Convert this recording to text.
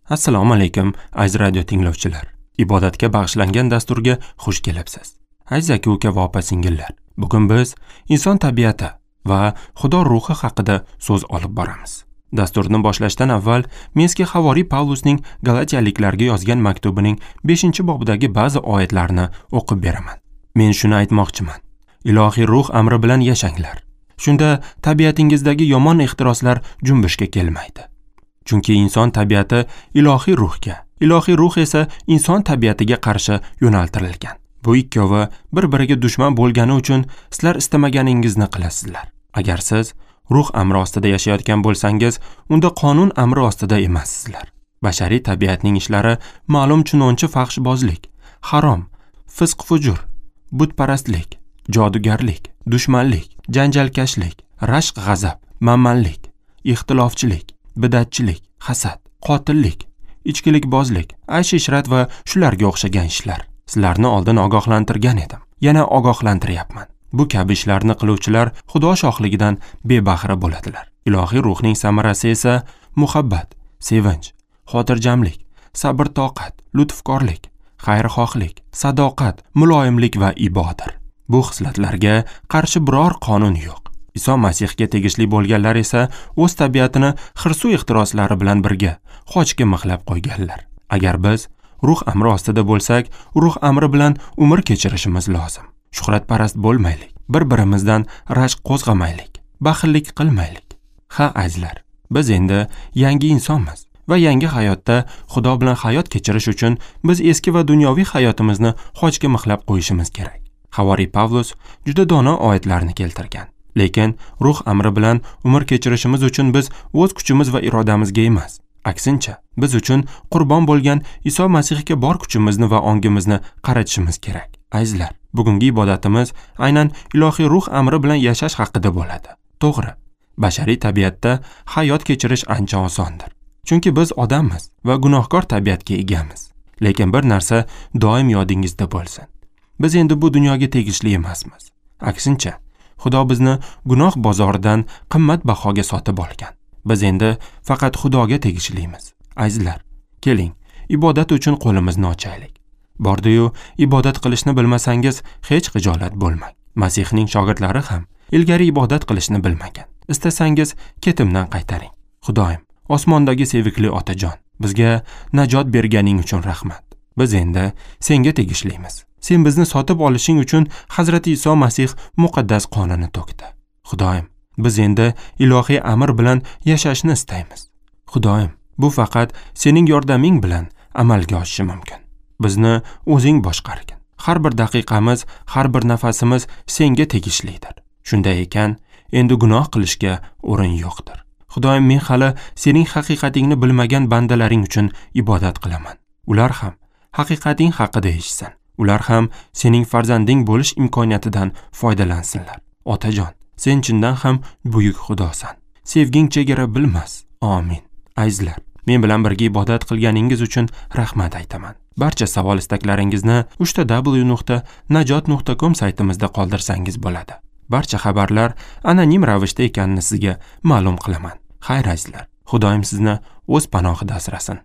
Assalomu alaykum, aziz radio tinglovchilar. Ibodatga bag'ishlangan dasturga xush kelibsiz. Aziz aka-uka va opa-singillar, bugun biz inson tabiati va Xudo ruhi haqida so'z olib boramiz. Dasturni boshlashdan avval men sizga Havoriy Pavlusning Galatiyaliklarga yozgan maktubining 5-bobidagi ba'zi oyatlarni o'qib beraman. Men shuni aytmoqchiman. Ilohiy ruh amri bilan yashanglar. Shunda tabiatingizdagi yomon ehtiroslar junbushga kelmaydi. Chunki inson tabiati ilohiy ruhga, ilohiy ruh esa inson tabiatiga qarshi yo'naltirilgan. Bu ikkovi bir-biriga dushman bo'lgani uchun sizlar istamaganingizni qilasizlar. Agar siz ruh amri ostida yashayotgan bo'lsangiz, unda qonun amri ostida emassizlar. Bashariy tabiatning ishlari ma'lum chunonchi fahshbozlik, harom, fisq-fujur, butparastlik, jodugarlik, dushmanlik, janjalkashlik, rashk-g'azab, manmanlik, ixtilofchilik, bidatchilik, hasad, qotillik, ichkilikbozlik, aysh-ishrat va shularga o'xshagan ishlar. Sizlarni oldin ogohlantirgan edim. Yana ogohlantiryapman. Bu kabi ishlarni qiluvchilar Xudo shohligidan bebahra bo'ladilar. Ilohiy ruhning samarasi esa muhabbat, sevinch, xotirjamlik, sabr-toqat, lutfkorlik, xayrixohlik, sadoqat, muloyimlik va ibodir. Bu xislatlarga qarshi biror qonun yo'q. Iso Masihga tegishli bo'lganlar esa o'z tabiatini hirsu ehtiroslari bilan birga xochga mixlab qo'yganlar. Agar biz ruh amri ostida bo'lsak, ruh amri bilan umr kechirishimiz lozim. Shuhratparast bo'lmaylik, bir-birimizdan rashk qo'zg'amaylik, baxillik qilmaylik. Ha, azizlar, biz endi yangi insonmiz va yangi hayotda Xudo bilan hayot kechirish uchun biz eski va dunyoviy hayotimizni xochga mixlab qo'yishimiz kerak. Havoriy Pavlus juda dono oyatlarni keltirgan. Lekin ruh amri bilan umr kechirishimiz uchun biz o'z kuchimiz va irodamizga emas, aksincha, biz uchun qurbon bo'lgan Iso Masihga bor kuchimizni va ongimizni qaratishimiz kerak. Azizlar, bugungi ibodatimiz aynan ilohiy ruh amri bilan yashash haqida bo'ladi. To'g'ri, bashariy tabiatda hayot kechirish ancha osondir. Chunki biz odammiz va gunohkor tabiatga egamiz. Lekin bir narsa doim yodingizda bo'lsin. Biz endi bu dunyoga tegishli emasmiz. Aksincha, Xudo bizni gunoh bozoridan qimmat bahoga sotib olgan. Biz endi faqat Xudoga tegishlimiz. Azizlar, keling, ibodat uchun qo'limizni ochaylik. Bordi-yu, ibodat qilishni bilmasangiz hech xijolat bo'lmang. Masihning shogirdlari ham ilgari ibodat qilishni bilmagan. Istasangiz ketimdan qaytaring. Xudoyim, osmondagi sevikli otajon, bizga najot berganing uchun rahmat. Biz endi senga tegishlimiz. Sen bizni sotib olishing uchun Hazrati Iso Masih muqaddas qonini to'kdi. Xudoyim, biz endi ilohiy amr bilan yashashni istaymiz. Xudoyim, bu faqat sening yordaming bilan amalga oshishi mumkin. Bizni o'zing boshqargin. Har bir daqiqamiz, har bir nafasimiz senga tegishlidir. Shunday ekan, endi gunoh qilishga o'rin yo'qdir. Xudoyim, men hali sening haqiqatingni bilmagan bandalaring uchun ibodat qilaman. Ular ham haqiqating haqida eshitsin. Ular ham sening farzanding bo'lish imkoniyatidan foydalansinlar. Otajon, sen chindan ham buyuk Xudosan. Sevging chegara bilmas. Amin. Azizlar, men bilan birga ibodat qilganingiz uchun rahmat aytaman. Barcha savol istaklaringizni www.najot.com saytimizda qoldirsangiz bo'ladi. Barcha xabarlar anonim ravishda ekanini sizga ma'lum qilaman. Xayr azizlar, Xudoyim sizni o'z panohida asrasin.